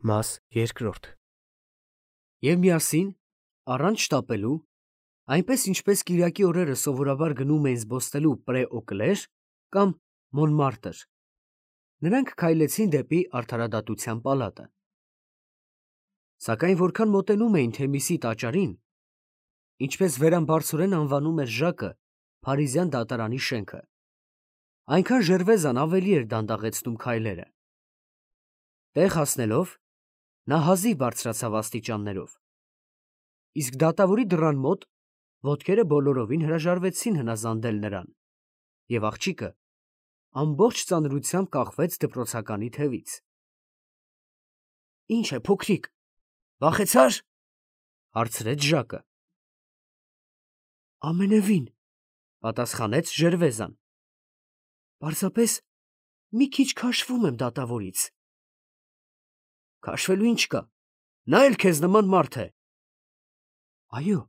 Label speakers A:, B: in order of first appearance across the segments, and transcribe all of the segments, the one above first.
A: Մաս երկրորդ Եվ միասին, առանց շտապելու, այնպես ինչպես կիրակի օրերը սովորաբար գնում էին զբոսնելու Պրե-Օկլեր կամ Մոնմարտր, նրանք քայլեցին դեպի Արդարադատության պալատը։ Սակայն որքան մոտենում էին Թեմիսի տաճարին, ինչպես վերամբարձորեն անվանում էր Ժակը Փարիզյան դատարանի շենքը, այնքան Ժերվեզան ավելի էր դանդաղեցնում քայլերը։ Տեղ հասնելով, նա հազիվ բարձրացավ աստիճաններով, իսկ դատավորի դռան մոտ ոտքերը բոլորովին հրաժարվեցին հնազանդել նրան, և աղջիկը ամբողջ ծանրությամբ կախվեց դպրոցականի թևից։ «Ի՞նչ է, փոքրիկ, վախեցա՞ր» հարցրեց Ժակը։ «Ամենևին», պատասխանեց Ժերվեզան, «պարզապես մի քիչ քաշվում եմ դատավորից»։ «Քաշվելու ինչ կա, նա էլ քեզ նման մարդ է»։ «Այո,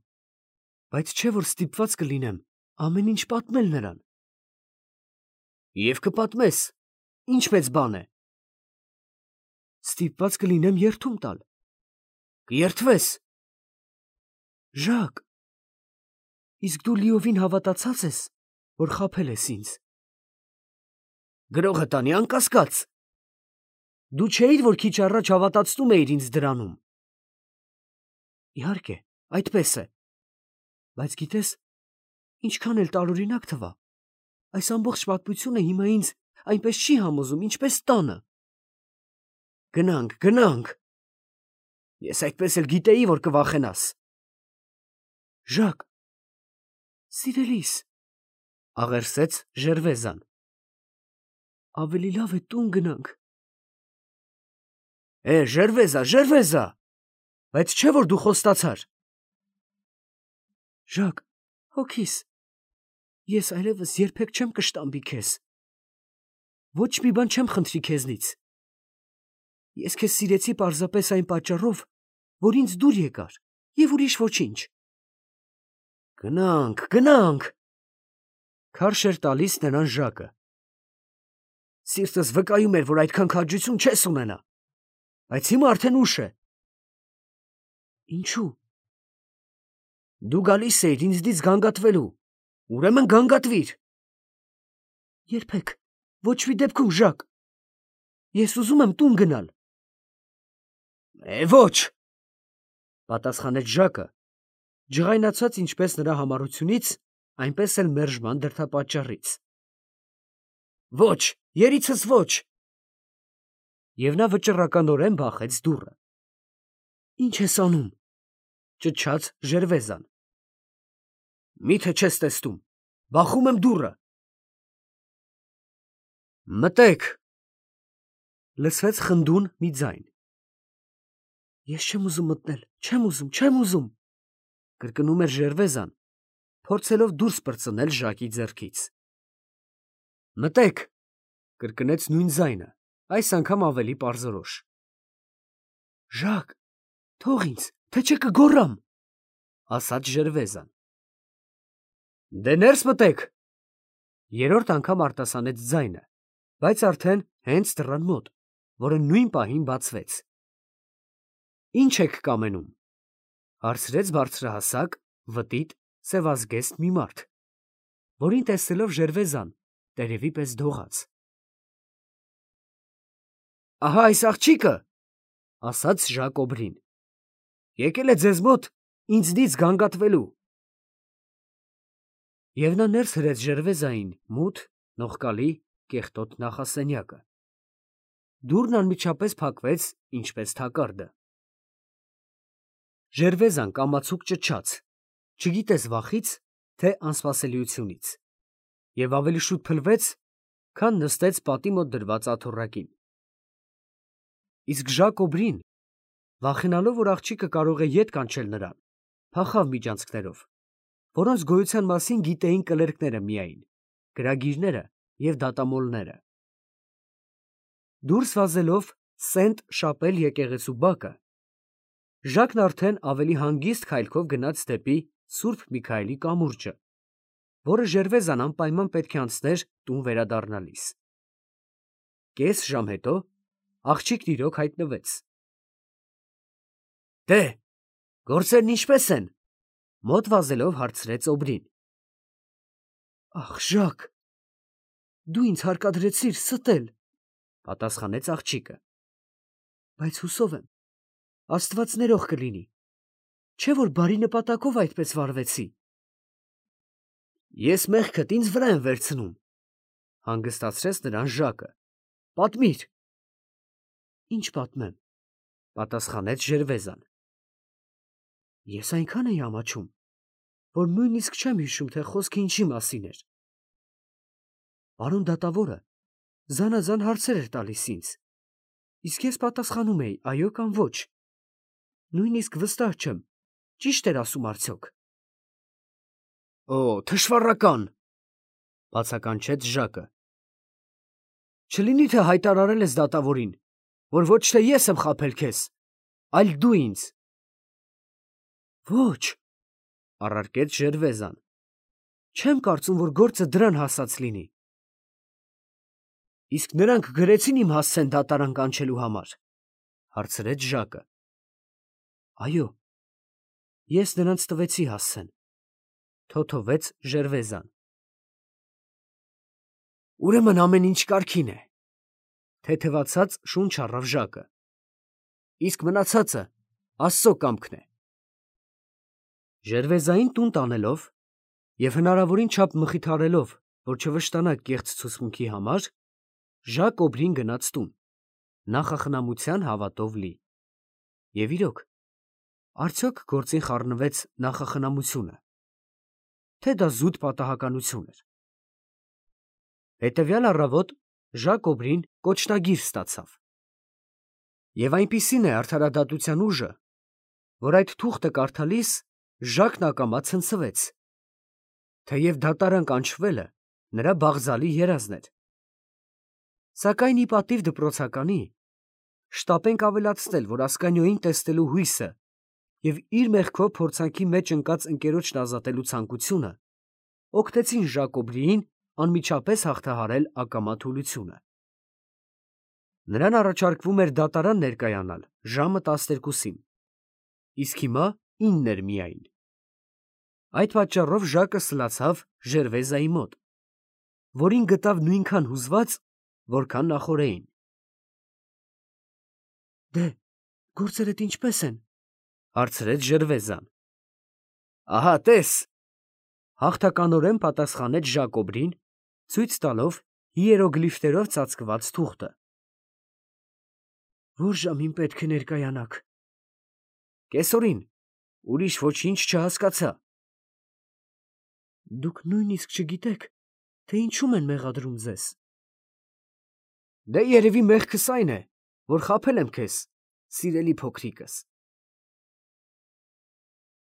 A: բայց չէ՞ որ ստիպված կլինեմ ամեն ինչ պատմել նրան»։ «Եվ կպատմես, ինչ մեծ բան է»։ «Ստիպված կլինեմ երդում տալ»։ «Կերդվես»։ «Ժակ, իսկ դու լիովին հավատացած ես, որ խաբել ես ինձ»։ «Գրողը տանի անկասկած։ Դու չէիր, որ քիչ առաջ հավատացնում էիր ինձ դրանում»։ «Իհարկե, այդպես է, բայց գիտես, ինչքան էլ տարօրինակ թվա, այս ամբողջ պատմությունը հիմա ինձ այնպես չի համոզում, ինչպես տանը»։ «Գնանք. ես այդպես էլ գիտեի, որ կվախենաս»։ «Ժակ, սիրելիս», աղերսեց Ժերվեզան, «ավելի լավ է տուն գնանք»։ Ժերվեզա, բայց չէ՞ որ դու խոստացար։ «Ժակ, հոգիս, ես այլևս երբեք չեմ կշտամբի քեզ, ոչ մի բան չեմ խնդրի քեզնից։ Ես քեզ սիրեցի պարզապես այն պատճառով, որ ինձ դուր եկար, և ուրիշ ոչինչ»։ «Գնանք, քարշ էր տալիս նրան Ժակը։ «Սիրտս վկայում էր, որ այդքան քաջություն չես ունենա, բայց հիմա արդեն ուշ է»։ «Ինչո՞ւ»։ «Դու գալիս էիր ինձնից գանգատվելու, ուրեմն գանգատվիր»։ «Երբեք, ոչ մի դեպքում, Ժակ, ես ուզում եմ տուն գնալ»։ «Ոչ», պատասխանեց Ժակը, ջղայնացած ինչպես նրա համառությունից, այնպես էլ մերժման դրդապատճառից։ «Ոչ, երիցս ոչ»։ Եվ նա վճռականորեն բախեց դուռը։ «Ի՞նչ ես անում», ճչաց Ժերվեզան։ «Մի՞թե չես տեսնում, բախում եմ դուռը»։ «Մտե՛ք», լսվեց խնդուն մի ձայն։ «Ես չեմ ուզում մտնել, չեմ ուզում», կրկնում էր Ժերվեզան, փորձելով դուրս պրծնել Ժակի ձեռքից։ «Մտե՛ք», կրկնեց նույն ձայնը, այս անգամ ավելի պարզորոշ։ «Ժակ, թող ինձ, թե չէ կգոռամ», ասաց Ժերվեզան։ «Դե ներս մտեք», երրորդ անգամ արտասանեց ձայնը, բայց արդեն հենց դռան մոտ, որը նույն պահին բացվեց։ «Ի՞նչ եք կամենում», հարցրեց բարձրահասակ, վտիտ, սևազգեստ մի մարդ, որին տեսնելով Ժերվեզան տերևի պես դողաց։ «Ահա այս աղջիկը», ասաց Ժակոբրին, «եկել է ձեզ մոտ ինձնից գանգատվելու»։ Եվ նա ներս հրեց Ժերվեզային մութ, նողկալի, կեղտոտ նախասենյակը։ Դուռն անմիջապես փակվեց, ինչպես թակարդը։ Ժերվեզան կամացուկ ճչաց, չգիտես վախից, թե անսպասելիությունից, և ավելի շուտ փլվեց, քան նստեց պատի մոտ դրված աթոռակին։ Իսկ Ժակոբրին, վախենալով, որ աղջիկը կարող է ետ կանչել նրան, փախավ միջանցքներով, որոնց գոյության մասին գիտեին կլերկները միայն, գրագիրները և դատամոլները։ Դուրս վազելով Սենտ Շապել եկեղեցու բակը, Ժակն արդեն ավելի հանգիստ քայլքով գնաց դեպի Սուրբ Միքայելի կամուրջը, որը Ժերվեզան անպայման պետք է անցներ տուն վերադառնալիս։ Կես ժամ հետո աղջիկն իրոք հայտնվեց, Դե, գործերն ինչպե՞ս են, մոտ վազելով հարցրեց Օբրին։ Ախ, Ժակ, դու ինձ հարկադրեցիր ստել, պատասխանեց աղջիկը։ Բայց հուսով եմ, Աստված ներող կլինի, չէ՞ որ բարի նպատակով այդպես վարվեցի։ Ես մեղքդ ինձ վրա եմ վերցնում, հանգստացրեց նրան Ժակը։ Պատմիր։ Ինչ պատմեմ, պատասխանեց Ժերվեզան։ Ես այնքան էի ամաչում, որ նույնիսկ չեմ հիշում, թե խոսքը ինչի մասին էր։ Պարոն դատավորը զանազան հարցեր էր տալիս ինձ, իսկ ես պատասխանում էի այո կամ ոչ։ Նույնիսկ վստահ չեմ, ճիշտ էր ասում արդյոք։ Օ, թշվառական, բացականչեց Ժակը։ Չլինի թե հայտարարել ես դատավորին, որ ոչ թե ես եմ խաբել քեզ, այլ դու ինձ։ Ոչ, առարկեց Ժերվեզան։ Չեմ կարծում, որ գործը դրան հասած լինի։ Իսկ նրանք գրեցին իմ հասցեն դատարան կանչելու համար, հարցրեց Ժակը։ Այո, ես նրանց տվեցի հասցեն, թոթովեց Ժերվեզան։ Ուրեմն ամեն ինչ կարգին է, թեթևացած շունչ առավ Ժակը։ Իսկ մնացածը Աստծո կամքն է։ Ժերվեզային տուն տանելով և հնարավորին չափ մխիթարելով, որ չվշտանա կեղծ ցուցմունքի համար, Ժակ Օբրին գնաց տուն, նախախնամության հավատով լի։ Եվ իրոք, արդյոք գործին խառնվեց նախախնամությունը, թե դա զուտ պատահականություն էր։ Հետևյալ առավոտ Ժակ Օբրին կոչնագիր ստացավ։ Եվ այնպիսին է արդարադատության ուժը, որ այդ թուղթը կարդալիս Ժակն ակամա ցնցվեց, թեև դատարան կանչվելը նրա բաղձալի երազն էր։ Սակայն ի պատիվ դպրոցականի, շտապենք ավելացնել, որ Ասկանիոյին տեսնելու հույսը և իր մեղքով փորձանքի մեջ ընկած ընկերոջն ազատելու ցանկությունը օգնեցին Ժակ Օբրիին անմիջապես հաղթահարել ակամա թուլությունը։ Նրան առաջարկվում էր դատարան ներկայանալ ժամը 12-ին, իսկ հիմա 9 էր միայն։ Այդ պատճառով Ժակը սլացավ Ժերվեզայի մոտ, որին գտավ նույնքան հուզված, որքան նախօրեին։ Դե, գործերդ ինչպե՞ս են, հարցրեց Ժերվեզան։ Ահա տես, հաղթականորեն պատասխանեց Ժակ Օբրին, ցույց տալով հիերոգլիֆներով ծածկված թուղթը։ Որ ժամին պետք է ներկայանաք։ Կեսօրին, ուրիշ ոչինչ չհասկացա։ Դուք նույնիսկ չգիտեք, թե ինչում են մեղադրում ձեզ։ Դե երևի մեղքս այն է, որ խաբել եմ քեզ, սիրելի փոքրիկս։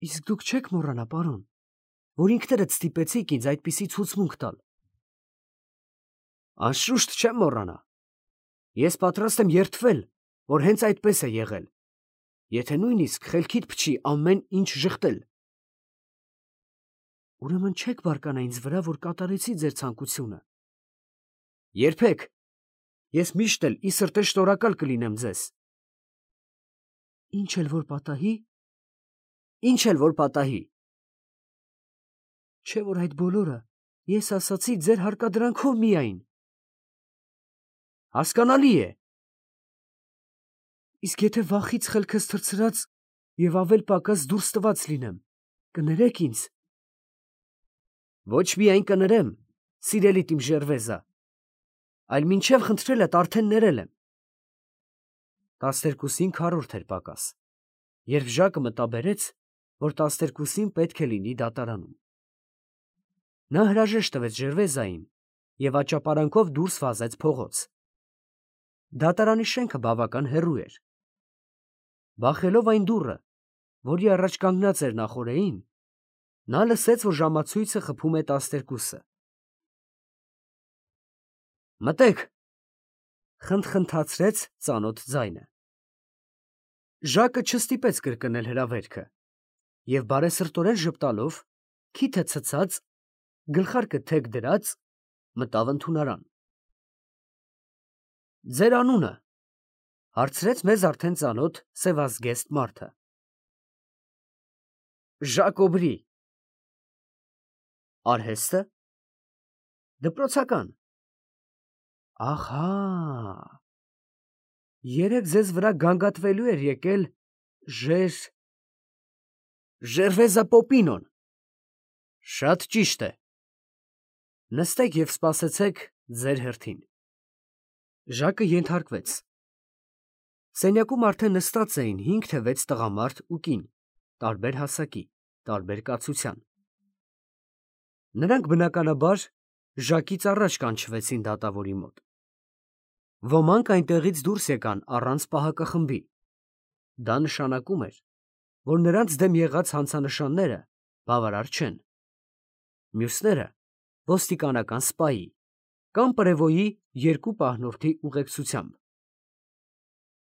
A: Իսկ դուք չեք մոռանա, պարոն, որ ինքներդ ստիպեցիք ինձ այդպիսի ցուցմունք տալ։ Անշուշտ չեմ մոռանա։ Ես պատրաստ եմ երդվել, որ հենց այդպես է եղել, եթե նույնիսկ խելքիդ փչի ամեն ինչ ժխտել։ Ուրեմն չեք բարկանա ինձ վրա, որ կատարեցի ձեր ցանկությունը։ Երբեք, ես միշտ էլ ի սրտե շնորհակալ կլինեմ ձեզ։ Ինչ էլ որ պատահի, ինչ էլ որ պատահի։ Չէ որ այդ բոլորը ես ասացի ձեր հարկադրանքով միայն։ Հասկանալի է։ Իսկ եթե վախից խելքս թռցրած և ավել պակաս դուրս տված լինեմ, կներեք ինձ։ Ոչ միայն կներեմ, սիրելի իմ Ժերվեզա, այլ մինչև խնդրելդ արդեն ներել եմ։ 12-ին քառորդ էր պակաս, երբ Ժակը մտաբերեց, որ 12-ին պետք է լինի դատարանում։ Նա հրաժեշտ տվեց Ժերվեզային և աճապարանքով դուրս վազեց փողոց։ Դատարանի շենքը բավական հեռու էր։ Բախելով այն դուռը, որի առաջ կանգնած էր նախօրեին, նա լսեց, որ ժամացույցը խփում է 12-ը։ Մտեք, խնդխնդացրեց ծանոթ ձայնը։ Ժակը չստիպեց կրկնել հրավերքը և բարեսրտորեն ժպտալով, քիթը ցցած, գլխարկը թեք դրած, մտավ ընդունարան։ Ձեր անունը, հարցրեց մեզ արդեն ծանոթ սևազգեստ մարդը։ Ժակոբրի։ Արհեստը։ Դպրոցական։ Ահա։ Երեք ձեզ վրա գանգատվելու էր եկել Ժերվեզա Պոպինոն։ Շատ ճիշտ է։ Նստեք և սպասեցեք ձեր հերթին։ Ժակը ենթարկվեց։ Սենյակում արդեն նստած էին 5 թե 6 տղամարդ ու կին, տարբեր հասակի, տարբեր կացության։ Նրանք բնականաբար Ժակից առաջ կանչվեցին դատավորի մոտ։ Ոմանք այնտեղից դուրս եկան առանց պահակախմբի։ Դա նշանակում էր, որ նրանց դեմ եղած հանցանշանները բավարար չեն։ Մյուսները ոստիկանական սպայի կամ պրևոյի 2 պահնորդի ուղեկցությամբ։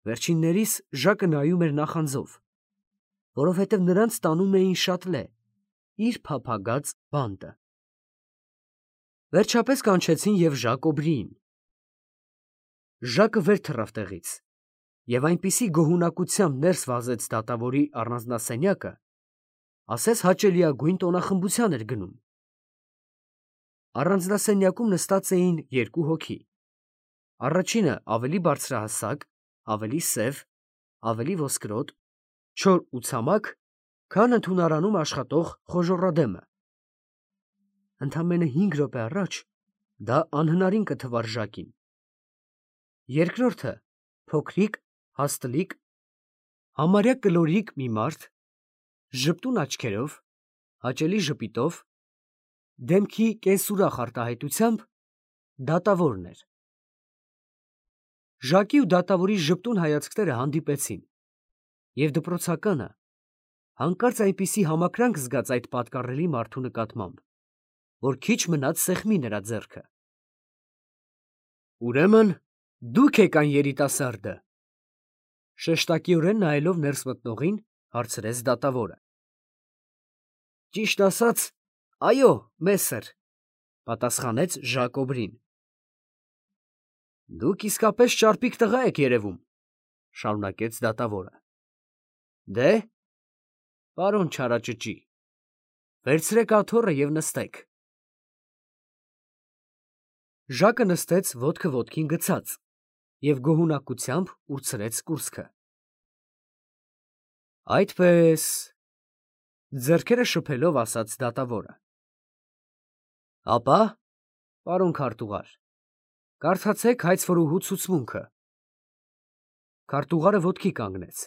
A: Վերջիններիս Ժակը նայում էր նախանձով, որովհետև նրանց տանում էին Շատլե, իր փափագած բանտը։ Վերջապես կանչեցին և Ժակոբրիին։ Ժակը վեր թռավ տեղից և այնպիսի գոհունակությամբ ներս վազեց դատավորի առանձնասենյակը, ասես հաճելիագույն տոնախմբության էր գնում։ Առանձնասենյակում նստած էին 2 հոգի։ Առաջինը ավելի բարձրահասակ, ավելի սև, ավելի ոսկրոտ, չոր ու ցամաք, քան ընդունարանում աշխատող խոժոռադեմը։ Ընդամենը 5 րոպե առաջ դա անհնարին կթվար Ժակին։ Երկրորդը փոքրիկ, հաստլիկ, համարյա կլորիկ մի մարդ, ժպտուն աչքերով, հաճելի ժպիտով, դեմքի կենսուրախ արտահայտությամբ դատավորն էր։ Ժակի ու դատավորի ժպտուն հայացքները հանդիպեցին, և դպրոցականը հանկարծ այնպիսի համակրանք զգաց այդ պատկառելի մարդու նկատմամբ, որ քիչ մնաց սեղմի նրա ձեռքը։ Ուրեմն դուք եք այն երիտասարդը, շեշտակիորեն նայելով ներս մտնողին, հարցրեց դատավորը։ Ճիշտ ասած, այո, մեսեր, պատասխանեց Ժակոբրին։ Դուք իսկապես ճարպիկ տղա եք երևում, շարունակեց դատավորը։ Դե, պարոն չարաճճի, վերցրեք աթոռը և նստեք։ Ժակը նստեց ոտքը ոտքին գցած և գոհունակությամբ ուրցրեց կուրծքը։ Այդպես, ձեռքերը շփելով ասաց դատավորը։ Ապա, պարոն քարտուղար, կարդացեք հայցվորուհու ցուցմունքը։ Քարտուղարը ոտքի կանգնեց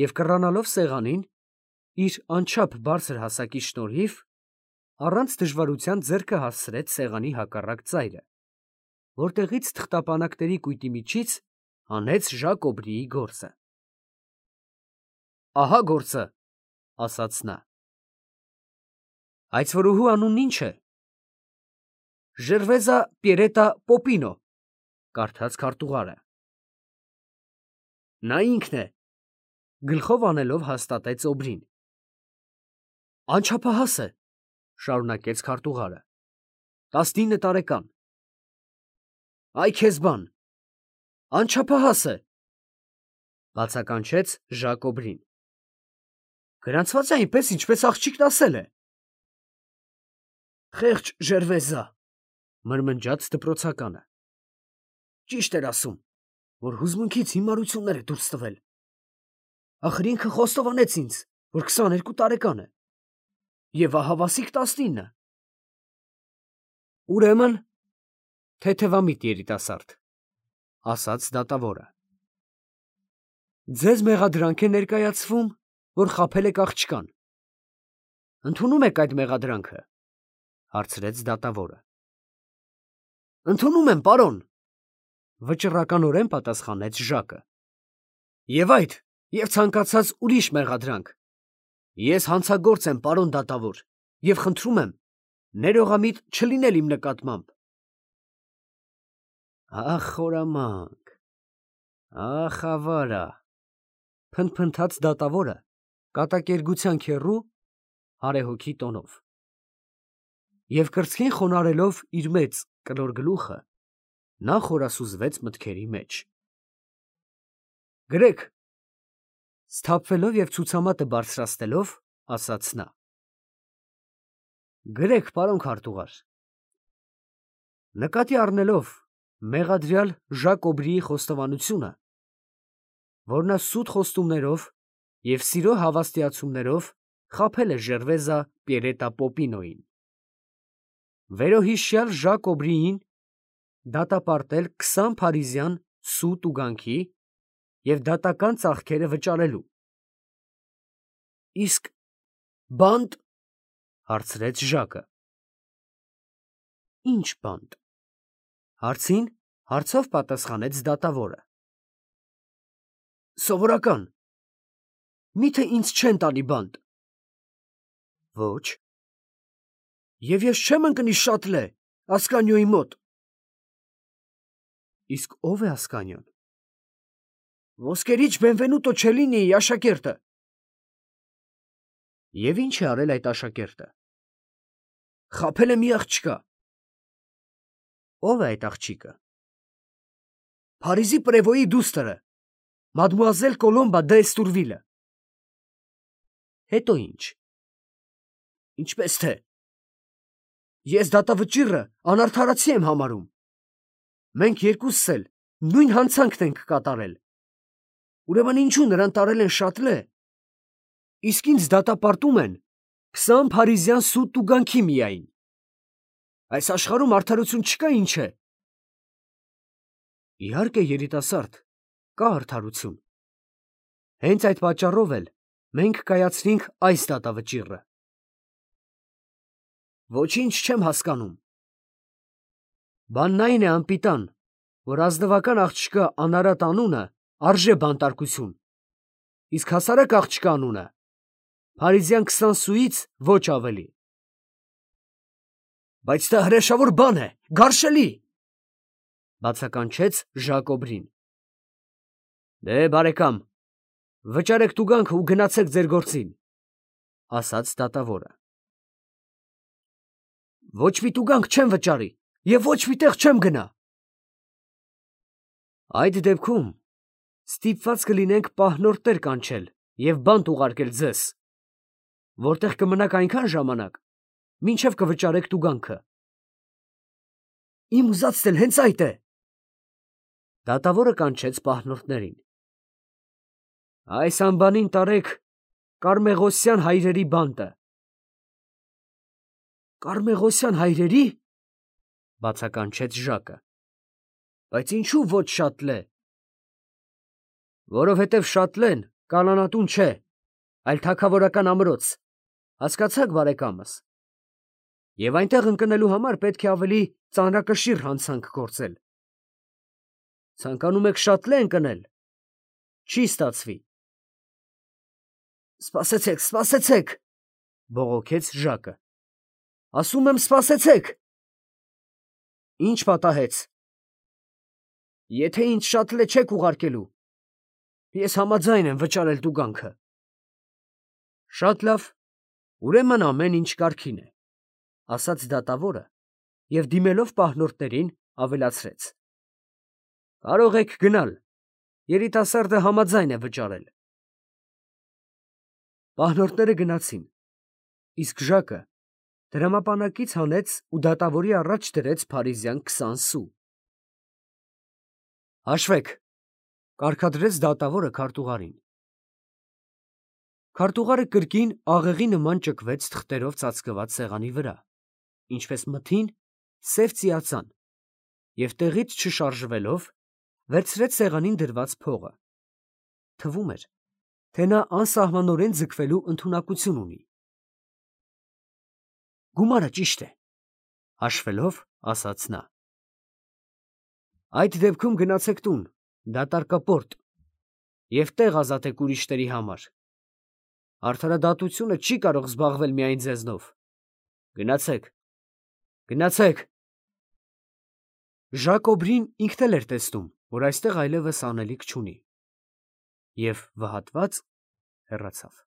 A: և կռանալով սեղանին, իր անչափ բարձր հասակի շնորհիվ, առանց դժվարության ձեռքը հասցրեց սեղանի հակառակ ծայրը, որտեղից թղթապանակների կույտի միջից հանեց Ժակոբրիի գործը։ Ահա գործը, ասաց նա։ Հայցվորուհու անունն ի՞նչ է։ Ժերվեզա Պիերետա Պոպինո, կարդաց քարտուղարը։ Նա ինքն է, գլխով անելով հաստատեց Օբրին։ Անչափահաս է, շարունակեց քարտուղարը, 19 տարեկան։ Այ քեզ բան, անչափահաս է, բացականչեց Ժակոբրին։ Գրանցված է այնպես, ինչպես աղջիկն ասել է։ Խեղճ Ժերվեզա, մրմնջաց դպրոցականը։ Ճիշտ էր ասում, որ հուզմունքից հիմարություններ է դուրս տվել։ Ախր ինքը խոստովանեց ինձ, որ 22 տարեկան է, և ահավասիկ 19։ Ուրեմն, թեթևամիտ երիտասարդ, ասաց դատավորը։ Ձեզ մեղադրանք է ներկայացվում, որ խաբել եք աղջկան։ Ընդունում եք այդ մեղադրանքը, հարցրեց դատավորը։ Ընդունում եմ, պարոն, վճռականորեն պատասխանեց Ժակը։ Եվ այդ, և ցանկացած ուրիշ մեղադրանք։ Ես հանցագործ եմ, պարոն դատավոր, և խնդրում եմ, ներողամիտ չլինել իմ նկատմամբ։ Ախ, խորամանկ, ախ, ավարա, փնթփնթաց դատավորը, կատակերգության քեռու, հարեհոգի տոնով։ Եվ կրծքին խոնարհելով իր մեծ կլոր գլուխը, նա խորասուզվեց մտքերի մեջ։ Գրեք, սթափվելով և ցուցամատը բարձրացնելով, ասաց նա։ Գրեք, պարոն քարտուղար։ Նկատի առնելով մեղադրյալ Ժակ Օբրիի խոստովանությունը, որ նա սուտ խոստումներով և սիրո հավաստիացումներով խաբել է Ժերվեզա Պիերետա Պոպինոյին, վերոհիշյալ Ժակ Օբրիին դատապարտել 20 փարիզյան սուտ ուգանքի և դատական ծախքերը վճարելու։ Իսկ բանտ, հարցրեց Ժակը։ Ինչ բանտ, հարցին հարցով պատասխանեց դատավորը։ Սովորական, միթե ինձ չեն տալի բանտ։ Ոչ։ Եվ ես չեմ ընկնի Շատլե, Ասկանյոյի մոտ։ Իսկ ով է Ասկանյոն։ Ոսկերիչ Բենվենուտո Չելինիի աշակերտը։ Եվ ինչ է արել այդ աշակերտը։ Խաբել է մի աղջկա։ Ո՞վ է այդ աղջիկը։ Փարիզի պրևոյի դուստրը, մադմուազել Կոլոմբա դե Էստուրվիլը։ Հետո ինչ։ Ինչպես թե։ Ես դատավճիռը անարդարացի եմ համարում։ Մենք երկուսս էլ նույն հանցանքն ենք կատարել։ Ուրեմն ինչու նրան տարել են Շատլե, իսկ ինձ դատապարտում են 20 փարիզյան սուտ տուգանքի միայն։ Այս աշխարհում արդարություն չկա, ինչ է։ Իհարկե, երիտասարդ, կա արդարություն։ Հենց այդ պատճառով էլ մենք կայացրինք այս դատավճիռը։ Ոչինչ չեմ հասկանում։ Բանն այն է, անպիտան, որ ազնվական աղջկա անարատ անունը արժե բանտարկություն, իսկ հասարակ աղջկա անունը փարիզյան 20 սուից ոչ ավելի։ Բայց դա հրեշավոր բան է, գարշելի, բացականչեց Ժակ Օբրին։ Դե, բարեկամ, վճարեք տուգանքը ու գնացեք ձեր գործին, ասաց դատավորը։ Ոչ մի տուգանք չեմ վճարի և ոչ մի տեղ չեմ գնա։ Այդ դեպքում ստիպված կլինենք պահնորդներ կանչել և բանտ ուղարկել ձեզ, որտեղ կմնաք այնքան ժամանակ, մինչև կվճարեք տուգանքը։ Իմ ուզածն էլ հենց այդ է։ Դատավորը կանչեց պահնորդներին։ Այս անբանին տարեք Կարմեղոսյան հայրերի բանտը։ Կարմեղոսյան հայրերի, բացականչեց Ժակը։ Բայց ինչու ոչ Շատլե։ Որովհետև Շատլեն կանանատուն չէ, այլ թագավորական ամրոց, հասկացաք, բարեկամս։ Եվ այնտեղ ընկնելու համար պետք է ավելի ծանրակշիռ հանցանք գործել։ Ցանկանում եք Շատլե ընկնել, չի ստացվի։ Սպասեցեք, սպասեցեք, բողոքեց Ժակը։ Ասում եմ, սպասեցեք։ Ինչ պատահեց։ Եթե ինձ Շատլե չեք ուղարկելու, ես համաձայն եմ վճարել տուգանքը։ Շատ լավ, ուրեմն ամեն ինչ կարգին է, ասաց դատավորը և դիմելով պահնորդներին ավելացրեց. Կարող եք գնալ, երիտասարդը համաձայն է վճարել։ Պահնորդները գնացին, իսկ Ժակը դրամապանակից հանեց ու դատավորի առաջ դրեց փարիզյան 20 սու։ Հաշվեք, կարգադրեց դատավորը քարտուղարին։ Քարտուղարը կրկին աղեղի նման ճկվեց թղթերով ծածկված սեղանի վրա, ինչպես մթին սև ծիածան, և տեղից չշարժվելով վերցրեց սեղանին դրված փողը։ Թվում էր, թե նա անսահմանորեն ձգվելու ընդունակություն ունի։ Գումարը ճիշտ է, հաշվելով, ասաց նա։ Այդ դեպքում գնացեք տուն, դատարկապորտ, և տեղ ազատեք ուրիշների համար։ Արդարադատությունը չի կարող զբաղվել միայն ձեզնով։ Գնացեք, գնացեք։ Ժակ Օբրին ինքն էլ էր տեսնում, որ այստեղ այլևս անելիք չունի, և վհատված հեռացավ։